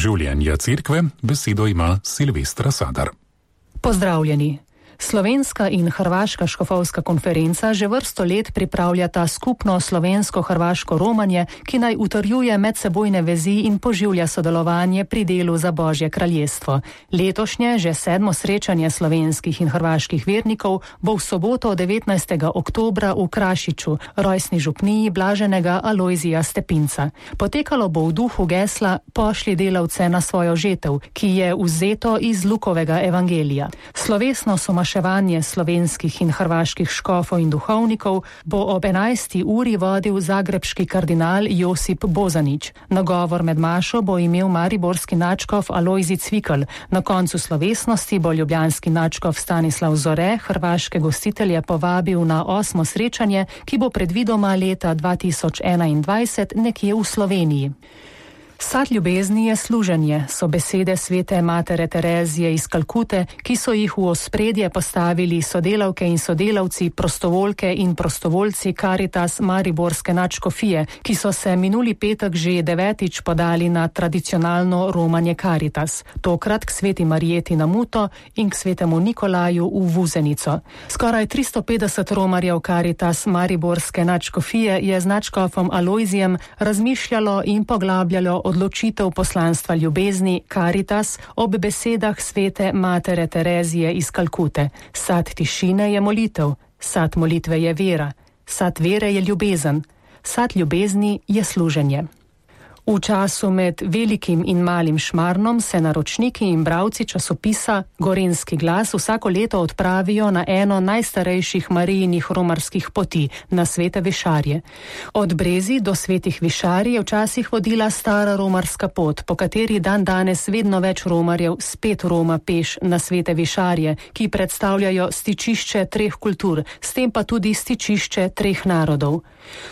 življenja cerkve besedo ima Silvestra Sadar. Pozdravljeni. Slovenska in hrvaška škofovska konferenca že vrsto let pripravljata skupno slovensko-hrvaško romanje, ki naj utrjuje medsebojne vezi in poživlja sodelovanje pri delu za Božje kraljestvo. Letošnje, že 7. srečanje slovenskih in hrvaških vernikov bo v soboto 19. oktobra v Krašiču, rojstni župniji blaženega Alojzija Stepinca. Potekalo bo v duhu gesla Pošlji delavce na svojo žetev, ki je vzeto iz Lukovega evangelija. Slovesno maševanje slovenskih in hrvaških škofov in duhovnikov bo ob 11. uri vodil zagrebški kardinal Josip Bozanić. Nagovor med mašo bo imel mariborski nadškof Alojzij Cvikl. Na koncu slovesnosti bo ljubljanski nadškof Stanislav Zore hrvaške gostitelje povabil na 8. srečanje, ki bo predvidoma leta 2021 nekje v Sloveniji. Sad ljubezni je služenje, so besede svete matere Terezije iz Kalkute, ki so jih v ospredje postavili sodelavke in sodelavci, prostovoljke in prostovoljci Caritas mariborske nadškofije, ki so se minuli petek že 9. podali na tradicionalno romanje Caritas, tokrat k sveti Marijeti na Muto in k svetemu Nikolaju v Vuzenico. Skoraj 350 romarjev Caritas mariborske nadškofije je z nadškofom Alojzijem razmišljalo in poglabljalo odločitev poslanstva ljubezni Caritas ob besedah svete matere Terezije iz Kalkute. Sad tišine je molitev, sad molitve je vera, sad vere je ljubezen, sad ljubezni je služenje. V času med velikim in malim šmarnom se naročniki in bralci časopisa Gorenjski glas vsako leto odpravijo na eno najstarejših Marijinih romarskih poti, na Svete Višarje. Od Brezij do Svetih Višarij je včasih vodila stara romarska pot, po kateri dan danes vedno več romarjev spet roma peš na Svete Višarje, ki predstavljajo stičišče 3 kultur, s tem pa tudi stičišče 3 narodov.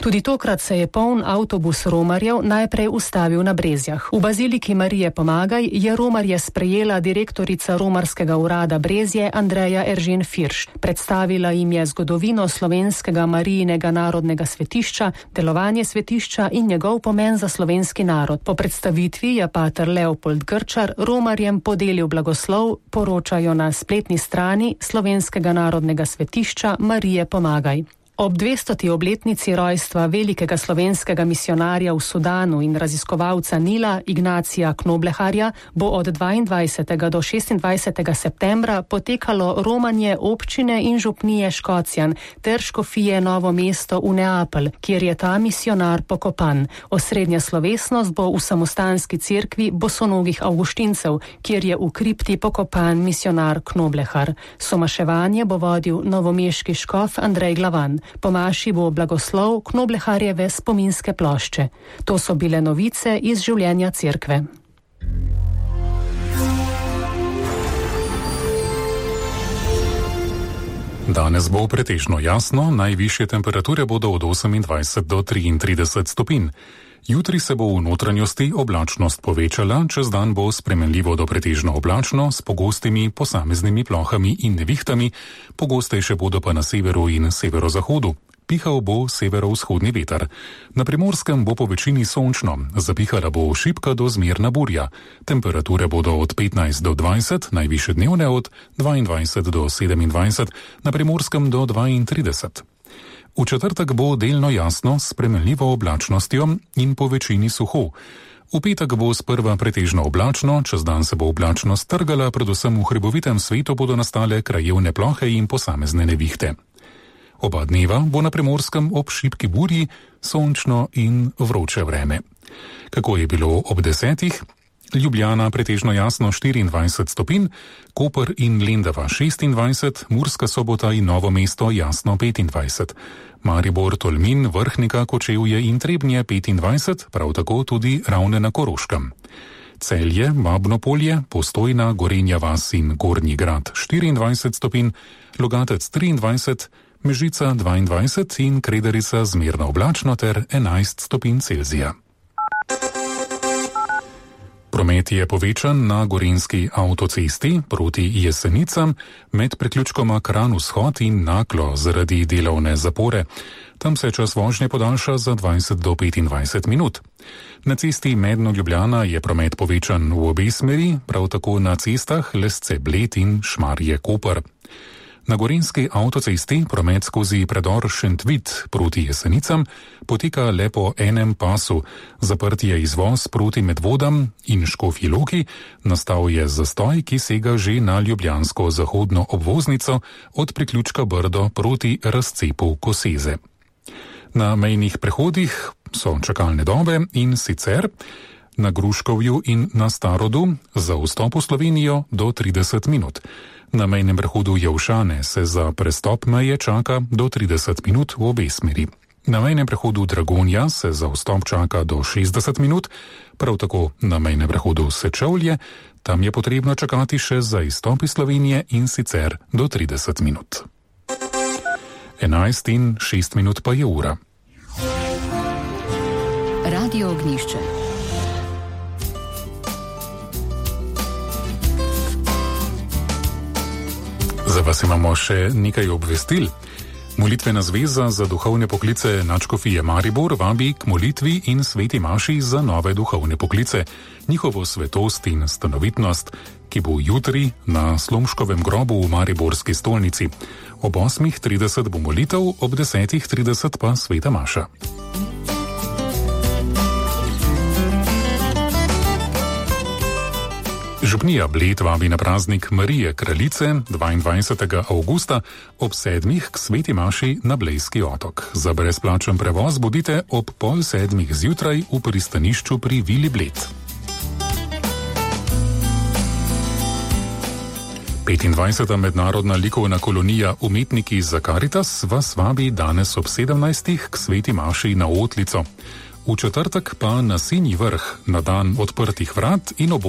Tudi tokrat se je poln avtobus romarjev najprej ustavil na Brezjah. V baziliki Marije Pomagaj je romarje sprejela direktorica romarskega urada Brezje Andreja Eržen Firš. Predstavila jim je zgodovino slovenskega Marijinega narodnega svetišča, delovanje svetišča in njegov pomen za slovenski narod. Po predstavitvi je pater Leopold Grčar romarjem podelil blagoslov, poročajo na spletni strani slovenskega narodnega svetišča Marije Pomagaj. Ob 200. obletnici rojstva velikega slovenskega misionarja v Sudanu in raziskovalca Nila Ignacija Knobleharja bo od 22. do 26. septembra potekalo romanje občine in župnije Škocjan ter škofije Novo mesto v Neapelj, kjer je ta misionar pokopan. Osrednja slovesnost bo v samostanski cerkvi bosonogih avguštincev, kjer je v kripti pokopan misionar Knoblehar. Somaševanje bo vodil novomeški škof Andrej Glavan. Po maši bo blagoslov Knobleharjeve spominske plošče. To so bile novice iz življenja cerkve. Danes bo pretežno jasno, najvišje temperature bodo od 28 do 33 stopinj. Jutri se bo v notranjosti oblačnost povečala, čez dan bo spremenljivo do pretežno oblačno s pogostimi posameznimi plohami in nevihtami, pogostejše bodo pa na severu in severozahodu. Pihal bo severovzhodni veter. Na Primorskem bo po večini sončno, zapihala bo šibka do zmerna burja. Temperature bodo od 15 do 20, najvišje dnevne od 22 do 27, na Primorskem do 32. V četrtek bo delno jasno s spremenljivo oblačnostjo in po večini suho. V petek bo sprva pretežno oblačno, čez dan se bo oblačnost trgala, predvsem v hribovitem svetu bodo nastale krajevne plohe in posamezne nevihte. Oba dneva bo na Primorskem ob šibki burji sončno in vroče vreme. Kako je bilo ob 10? Ljubljana pretežno jasno 24 stopinj, Koper in Lendava 26, Murska Sobota in Novo mesto jasno 25. Maribor, Tolmin, Vrhnika, Kočevje in Trebnje 25, prav tako tudi Ravne na Koroškem. Celje, Babno Polje, Postojna, Gorenja vas in Gornji grad 24 stopinj, Logatec 23, Mežica 22 in Krederica zmerno oblačno ter 11 stopinj Celzija. Promet je povečan na gorenjski avtocesti proti Jesenicam med priključkoma Kranj-Vzhod in Naklo zaradi delovne zapore. Tam se čas vožnje podaljša za 20 do 25 minut. Na cesti Medno-Ljubljana je promet povečan v obe smeri, prav tako na cestah Lesce-Bled in Šmarje-Koper. Na gorenjski avtocesti promet skozi predor Šentvid proti Jesenicam poteka le po enem pasu. Zaprt je izvoz proti Medvodam in Škofji Loki, nastal je zastoj, ki sega že na ljubljansko zahodno obvoznico od priključka Brdo proti razcepu Koseze. Na mejnih prehodih so čakalne dobe in sicer na Gruškovju in na Starodu za vstop v Slovenijo do 30 minut. Na mejnem prehodu Jelšane se za prestop meje čaka do 30 minut v obe smeri. Na mejnem prehodu Dragonja se za vstop čaka do 60 minut, prav tako na mejnem prehodu Sečovlje, tam je potrebno čakati še za izstop iz Slovenije in sicer do 30 minut. 11:06 pa je ura. Radio Ognjišče. Za vas imamo še nekaj obvestil. Molitvena zveza za duhovne poklice Nadškofije Maribor vabi k molitvi in sveti maši za nove duhovne poklice, njihovo svetost in stanovitnost, ki bo jutri na Slomškovem grobu v mariborski stolnici. Ob 8:30 bo molitev, ob 10:30 pa sveta maša. Župnija Bled vabi na praznik Marije Kraljice 22. avgusta ob 7. k sveti maši na Blejski otok. Za brezplačen prevoz bodite ob 6:30 zjutraj v pristanišču pri Vili Bled. 25. mednarodna likovna kolonija Umetniki za Karitas vas vabi danes ob 17. k sveti maši na Otlico. V četrtek pa na Sinji vrh na dan odprtih vrat in ob